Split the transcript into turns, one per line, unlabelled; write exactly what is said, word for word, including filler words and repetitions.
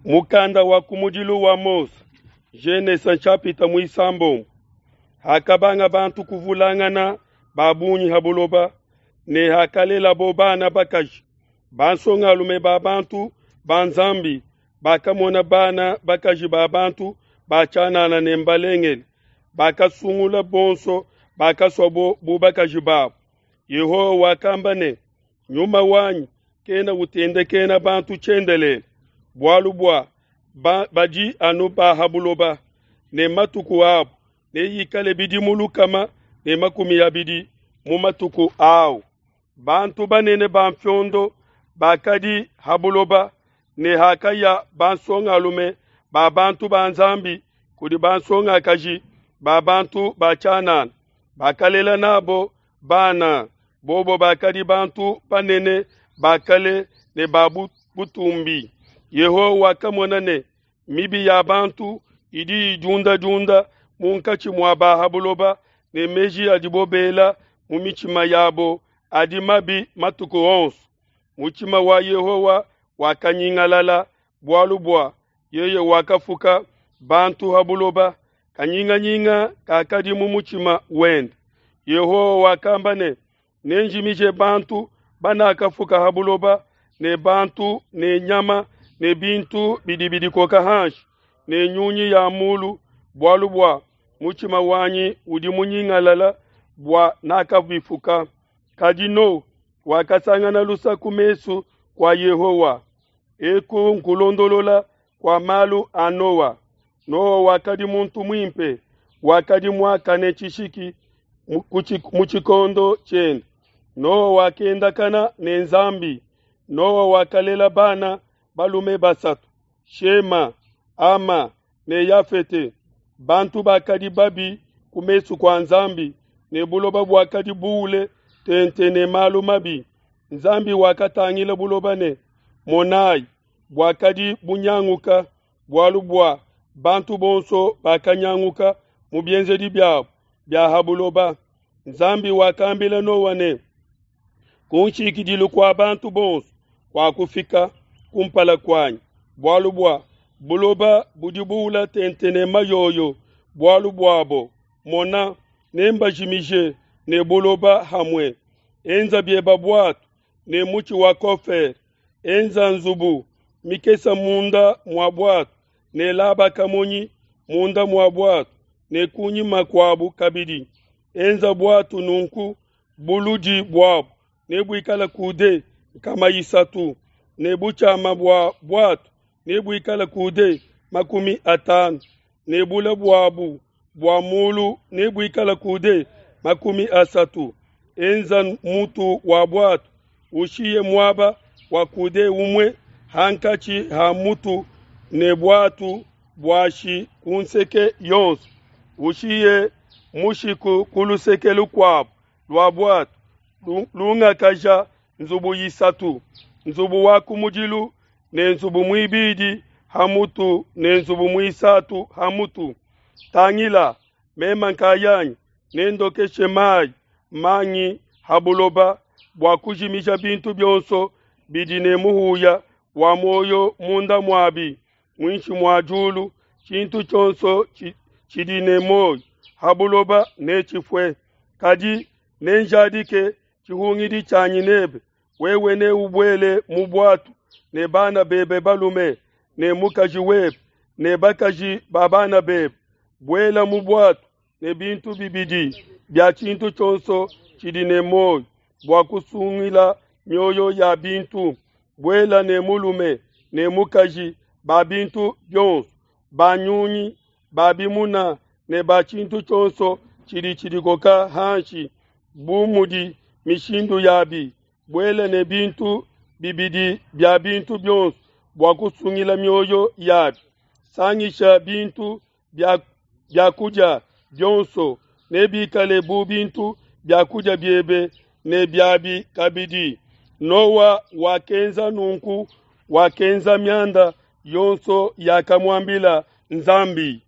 Mukanda wa kumudilu wa Mose, Genese chapitre muisambombo. Hakabanga bantu kuvulangana ba bungi ha buloba, ne hakalelabo bana bakaji, bansongalume ba bantu ba Nzambi bakamona bana bakaji ba bantu ba tshianana ne mbalengele, bakasungula bonso bakasuabo bu bakaji babo. Yehowa wakamba ne, Nyuma wanyi kena utendekena bantu tshiendelele, bualu bua ba, badi anu ba ha buloba, ne matuku abo neikale bidimu lukama ne makumi abidi mu matuku awu. Bantu banene ba mfiondo bakadi ha buloba, ne hakaya bansongalume ba bantu ba Nzambi kudi bansongakaji ba bantu ba tshianana, bakalela nabo bana, bobo bakadi bantu banene ba kale ne ba butumbi. Yehowa wakamona ne mibi ya bantu idi idiundadiunda munkatshi mua ba ha buloba, ne meji adibo bela mu mitshima yabo adi mabi matuku onso. Mutshima wa Yehowa wakanyingalala bualu bua yeye wakafuka bantu ha buloba, kanyinganyinga kakadi mu mutshima wende. Yehowa wakamba ne, nenjimije bantu banakafuka ha buloba, ne bantu ne nyama ne bintu bidi bidikoka hanshi ne nyunyi ya mulu, bualu bua mutshima wanyi udi munyingalala bua nakabifuka. Kadi Noa wakasangana lusa ku mesu kua Yehowa. Eku nkulondolola kua malu a Noa. Noa wakadi muntu muimpe, wakadi muakane tshishiki mu tshikondo tshiende. Noa wakendakana ne Nzambi. Noa wakalela bana balume basatu, Shema, Hama ne Yafete. Bantu bakadi babi ku mesu kua Nzambi, ne buloba buakadi buule tente ne malu mabi. Nzambi wakatangila buloba ne, monayi, buakadi bunyanguka, bualu bua bantu bonso bakanyanguka mu bienzedi biabo bia ha buloba. Nzambi wakambila Noa ne, kunshikidilu kua bantu bonso kuakufika kumpala kuanyi, bualu bua buloba budi buula tente ne mayoyo bualu buabo. Mona, nembajimije ne buloba hamwe. Enza bieba buatu ne mutshi wa kofer, enza nzubu mikesa munda mua buatu, ne laba kamonyi munda mua buatu, ne kunyima kuabu kabidi. Enza buatu nunku, buludi buabu nebuikale kude nkama isatu, ne butshiama bua buatu nebuikale kude makumi atanu, ne bule buabu bua mulu nebuikale kude makumi asatu. Enza mutu wa buatu, ushiye muaba wa kude umue hankatshi ha mutu ne buatu buashi ku nseke yonso. Ushiye mushiku ku luseke lukuabu lua buatu, lungakaja nzubu isatu, nzubu wa kumudilu ne nzubu muibidi ha mutu ne nzubu muisatu ha mutu. Tangila, mema nkayanyi nendokeshe mai mangi ha buloba bua kujimija bintu bionso bidi ne muhuya wa muoyo munda muabi muinshi mua diulu. Tshintu tshionso tshidi ne muoyo ha buloba netshifue. Kadi nenjadike tshihungidi tshianyi nebe, wewe neubuele mu buatu ne bana bebe balume ne mukaji webe ne bakaji ba bana bebe. Buela mu buatu ne bintu bibidi bia tshintu tshionso tshidi ne muoyo bua kusungila mioyo ya bintu. Buela ne mulume ne mukaji ba bintu bionso, ba nyunyi, ba bimuna ne ba tshintu tshionso tshidi tshidikoka hanshi bu mudi mishindu yabi. Buela ne bintu bibidi bia bintu bionso bua kusungila mioyo yabi. Sangisha bintu bia bia kudia bionso, nebikale bu bintu bia kudia biebe ne biabi kabidi. Noa wakenza nunku, wakenza mianda yonso yakamuambila Nzambi.